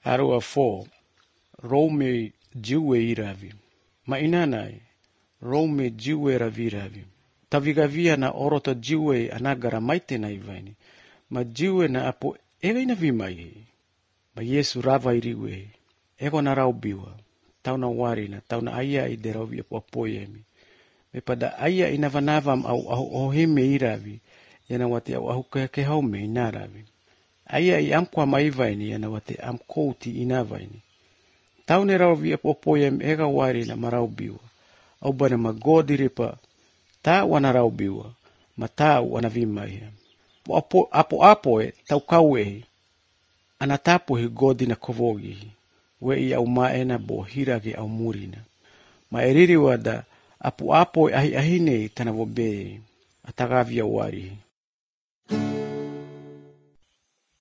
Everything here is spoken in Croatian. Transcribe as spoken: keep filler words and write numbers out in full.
Arua four, Rome jiwe iravi. Mainanai, Rome jiwe raviravi. Tavigavia na orota jiwe anagara maite na ivaini. Ma jiwe na apo ega ina vimai. Ma Yesu rava iriwe. Ego na raubiwa. Tau na warina, tau na aya i derawi apo apoyemi. Me pada aya ina vanavam au au ohime iravi. Yana wate au ahu ke haume inaravi. Aya i amkwa maivaini yana wate amkouti inavaini. Tau ne raubi apo apoyemi ega warina maraubiwa. Au bana magodi ripa. Ta wana raubiwa. Ma ta wana vimai. Apo apo apoe tau kauehi. Anatapo hi godi na kovogi. We i au maena bo hirage au murina. Ma eriri wada apo apoe ahi ahine tana wobe. Atagavia wari.